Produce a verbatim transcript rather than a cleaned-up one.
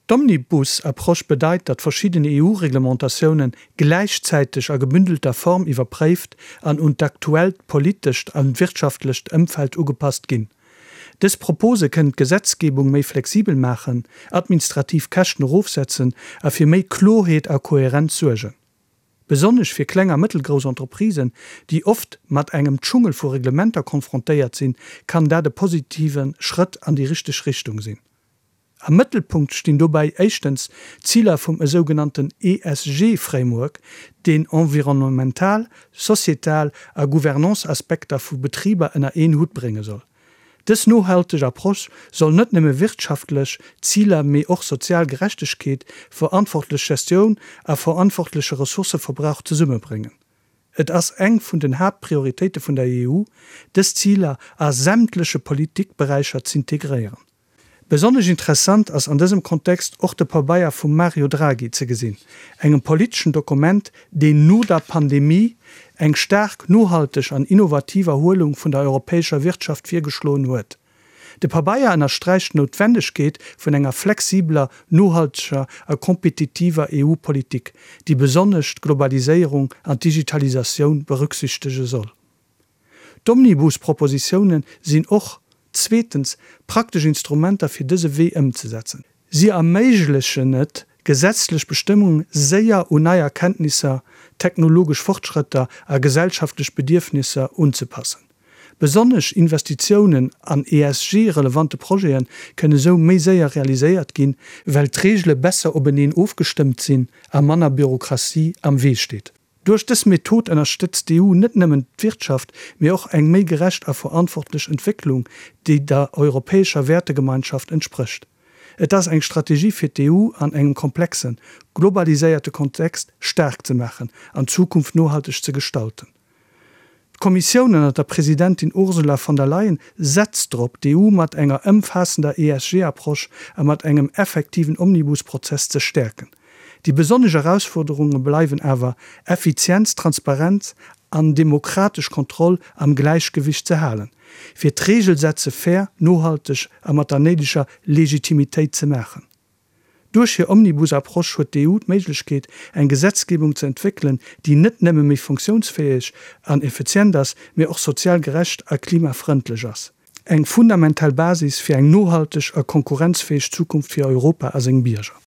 D'Omnibus-Approche bedeit, datt verschidden E U-Reglementatioune gläichzäiteg a gebündelter Form iwwerpréift an un d'aktuellt politescht a wirtschaftlecht Ëmfeld ugepasst ginn. Dës Propose kënnen d'Gesetzgebung méi flexibel maachen, administrativ Käschten erofsetzen a fir méi Kloerheet a Koherenz suergen. Besonnesch fir kleng a mëttelgrouss Entreprisen, déi oft mat engem Dschungel vu Reglementer konfrontéiert sinn, kann dat e positive Schrëtt an déi richteg Richtung sinn. Am Mëttelpunkt stinn dobäi éischtens d'Ziler vum esougenannten E S G-Framework, deen environnemental, societal a Gouvernance-Aspekter vu Betriber ënner een Hutt brénge soll. Dës nohalteg Approche soll net nëmme wirtschaftlech Ziler, mee och sozial Gerechtegkeet, verantwortlech Gestioun a verantwortleche Ressourcëverbrauch zesummebréngen. Et ass eng vun den Haaptprioritéite vun der E U, dës Ziler a sämtleche Politikberäicher z'integréieren. Besonnesch interessant ass an dësem Kontext och de Pabeier vum Mario Draghi ze gesinn, engem politeschen Dokument, deen no der Pandemie eng staark nohalteg an innovativ Erhuelung vun der europäescher Wirtschaft virgeschloen huet. De Pabeier ënnersträicht d'Noutwendegkeet vun enger flexibeler, nohalteger a kompetitiver E U-Politik, déi besonnesch d'Globaliséierung an d'Digitalisatioun berücksichtege soll. D'Omnibus-Propositioune sinn och, zweetens, praktesch Instrumenter fir dëse Wee ëmzesetzen. Si erméiglechen et, gesetzlech Bestëmmunge séier un nei Erkenntnisser, technologesch Fortschrëtter a gesellschaftlech Bedierfnisser unzepassen. Besonnesch Investitiounen an E S G-relevante Projete kënne sou méi séier realiséiert ginn, well d'Reegele besser openeen ofgestëmmt sinn a manner Bürokratie am Wee steet. Duerch dës Method ënnerstëtzt d'E U net nëmmen d'Wirtschaft, mee och eng méi gerecht a verantwortlech Entwécklung, déi der europäescher Wäertegemeinschaft entsprécht. Et ass eng Strategie fir d'E U an engem komplexen, globaliséierte Kontext staark ze maachen an d'Zukunft nohalteg ze gestalten. D'Kommissioun ënner der Presidentin Ursula von der Leyen setzt drop, d'E U mat enger ëmfaassender E S G-Approche a mat engem effektiven Omnibus-Prozess ze stäerken. Déi besonnesch Erausfuerderunge bleiwen awer, Effizienz, Transparenz an demokratesch Kontroll am Gläichgewicht ze halen, fir d'Reegelsetze fair, nohalteg a mat der néideger Legitimitéit ze maachen. Duerch hir Omnibus-Approche huet d'E U d'Méiglechkeet, eng Gesetzgebung ze entwéckelen, déi net nëmme méi funktiounsfäeg an effizient ass, mee och sozial gerecht a klimafrëndlech ass. Eng fundamental Basis fir eng nohalteg a konkurrenzfäeg Zukunft fir Europa a seng Bierger.